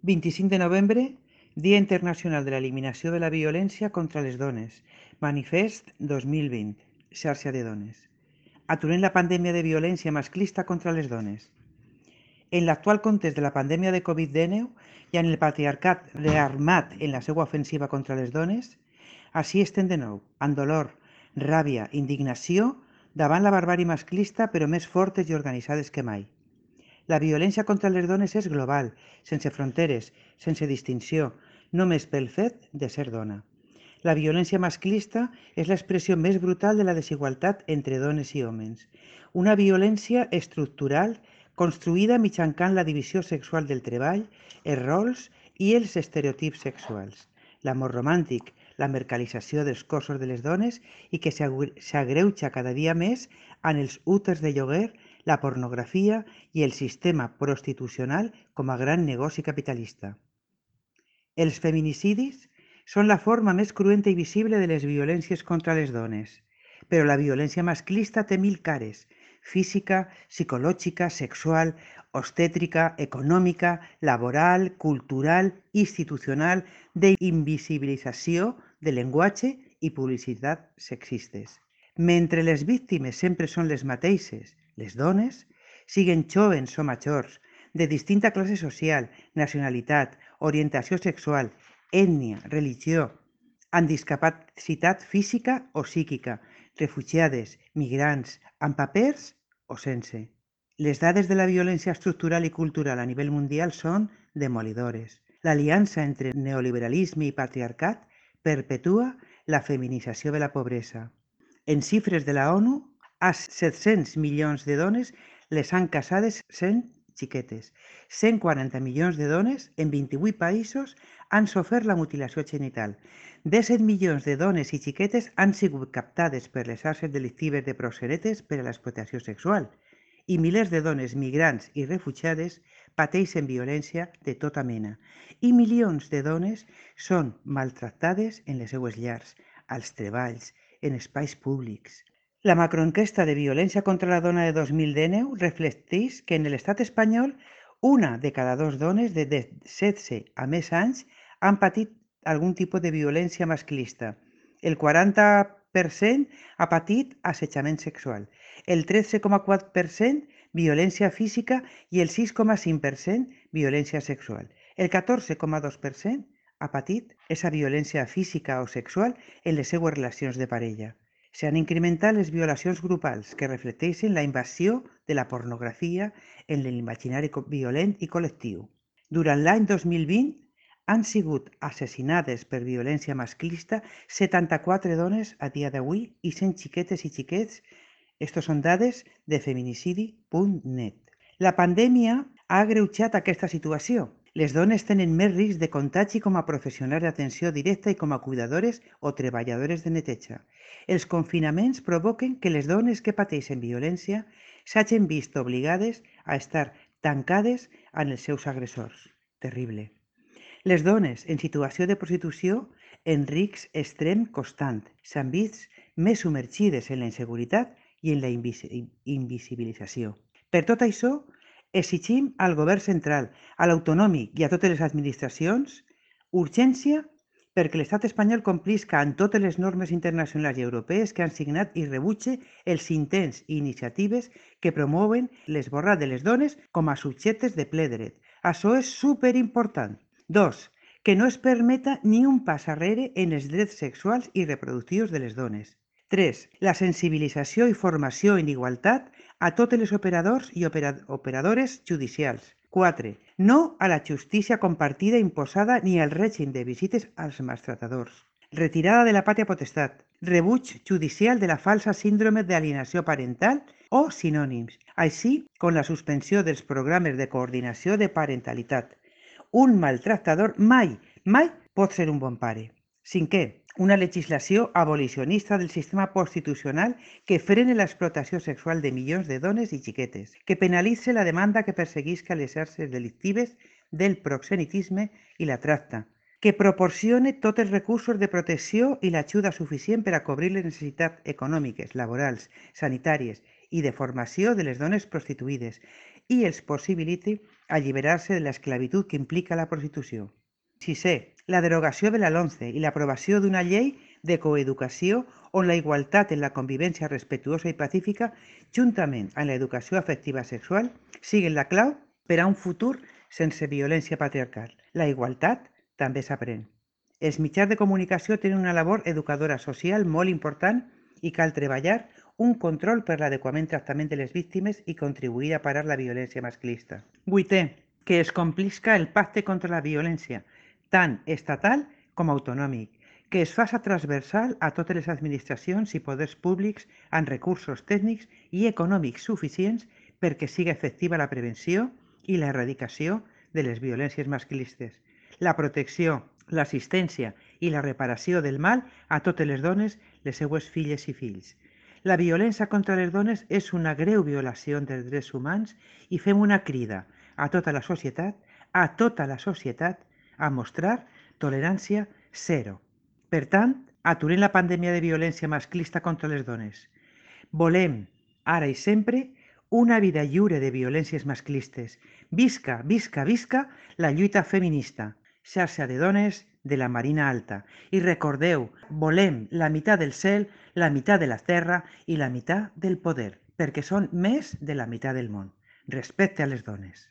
25 de novembre, Dia Internacional de l'Eliminació de la Violència contra les Dones. Manifest 2020. Xarxa de dones. Aturem la pandèmia de violència masclista contra les dones. En l'actual context de la pandèmia de Covid-19 i en el patriarcat rearmat en la seva ofensiva contra les dones, així estem de nou, amb dolor, ràbia, indignació, davant la barbàrie masclista, però més fortes i organitzades que mai. La violència contra les dones és global, sense fronteres, sense distinció, només pel fet de ser dona. La violència masclista és l'expressió més brutal de la desigualtat entre dones i homes. Una violència estructural construïda mitjançant la divisió sexual del treball, els rols i els estereotips sexuals. L'amor romàntic, la mercantilització dels cossos de les dones i que s'agreuja cada dia més en els úters de lloguer, la pornografia i el sistema prostitucional com a gran negoci capitalista. Els feminicidis són la forma més cruenta i visible de les violències contra les dones, però la violència masclista té mil cares: física, psicològica, sexual, obstètrica, econòmica, laboral, cultural, institucional, d'invisibilització, de llenguatge i publicitat sexistes. Mentre les víctimes sempre són les mateixes, les dones, siguen jóvens o majors, de distinta classe social, nacionalitat, orientació sexual, ètnia, religió, amb discapacitat física o psíquica, refugiades, migrants, amb papers o sense. Les dades de la violència estructural i cultural a nivell mundial són demolidores. L'aliança entre neoliberalisme i patriarcat perpetua la feminització de la pobresa. En xifres de la ONU, a 700 milions de dones les han casades sent xiquetes. 140 milions de dones en 28 països han sofert la mutilació genital. 17 milions de dones i xiquetes han sigut captades per les xarxes delictives de proxenetes per a l'explotació sexual i milers de dones migrants i refugiades pateixen violència de tota mena i milions de dones són maltractades en les seues llars, als treballs, en espais públics. La macroenquesta de violència contra la dona de 2019 reflecteix que en l'estat espanyol una de cada dues dones de 16 a més anys han patit algun tipus de violència masclista. El 40% ha patit assetjament sexual, el 13,4% violència física i el 6,5% violència sexual. El 14,2% ha patit aquesta violència física o sexual en les seues relacions de parella. S'han incrementat les violacions grupals que reflecteixen la invasió de la pornografia en l'imaginari violent i col·lectiu. Durant l'any 2020 han sigut assassinades per violència masclista 74 dones a dia d'avui i 100 xiquetes i xiquets. Estos són dades de feminicidi.net. La pandèmia ha agreujat aquesta situació. Les dones tenen més risc de contagi com a professionals d'atenció directa i com a cuidadores o treballadores de neteja. Els confinaments provoquen que les dones que pateixen violència s'hagin vist obligades a estar tancades en els seus agressors. Terrible. Les dones en situació de prostitució en risc extrem constant s'han vist més submergides en la inseguretat i en la invisibilització. Per tot això, exigim al govern central, a l'autonòmic i a totes les administracions urgència perquè l'estat espanyol complisca amb totes les normes internacionals i europees que han signat i rebutge els intents i iniciatives que promouen l'esborrat de les dones com a subjectes de ple dret. Això és superimportant. 2. Que no es permeta ni un pas enrere en els drets sexuals i reproductius de les dones. 3. La sensibilització i formació en igualtat a totes les operadors i operadores judicials. 4. No a la justícia compartida imposada ni al règim de visites als maltratadors. Retirada de la pàtria potestat. Rebuig judicial de la falsa síndrome d'alienació parental o sinònims, així com la suspensió dels programes de coordinació de parentalitat. Un maltractador mai pot ser un bon pare. 5. Una legislació abolicionista del sistema constitucional que frene l'explotació sexual de milions de dones i xiquetes, que penalitze la demanda que perseguisca les xarxes delictives del proxenetisme i la tracta, que proporcione tots els recursos de protecció i l'ajuda suficient per a cobrir les necessitats econòmiques, laborals, sanitàries i de formació de les dones prostituïdes i els possibiliti alliberar-se de l'esclavitud que implica la prostitució. Sisè, la derogació de la LOMCE i l'aprovació d'una llei de coeducació on la igualtat en la convivència respectuosa i pacífica, juntament amb l'educació afectiva sexual, siguin la clau per a un futur sense violència patriarcal. La igualtat també s'aprèn. Els mitjans de comunicació tenen una labor educadora social molt important i cal treballar un control per l'adequament tractament de les víctimes i contribuir a parar la violència masclista. Vuitè, que es complisca el pacte contra la violència, tant estatal com autonòmic, que es faça transversal a totes les administracions i poders públics amb recursos tècnics i econòmics suficients perquè siga efectiva la prevenció i l'erradicació de les violències masclistes, la protecció, l'assistència i la reparació del mal a totes les dones, les seues filles i fills. La violència contra les dones és una greu violació dels drets humans i fem una crida a tota la societat, a mostrar tolerància zero. Per tant, aturem la pandèmia de violència masclista contra les dones. Volem, ara i sempre, una vida lliure de violències masclistes. Visca, visca, visca la lluita feminista. Xarxa de dones de la Marina Alta. I recordeu, volem la meitat del cel, la meitat de la terra i la meitat del poder, perquè són més de la meitat del món. Respecte a les dones.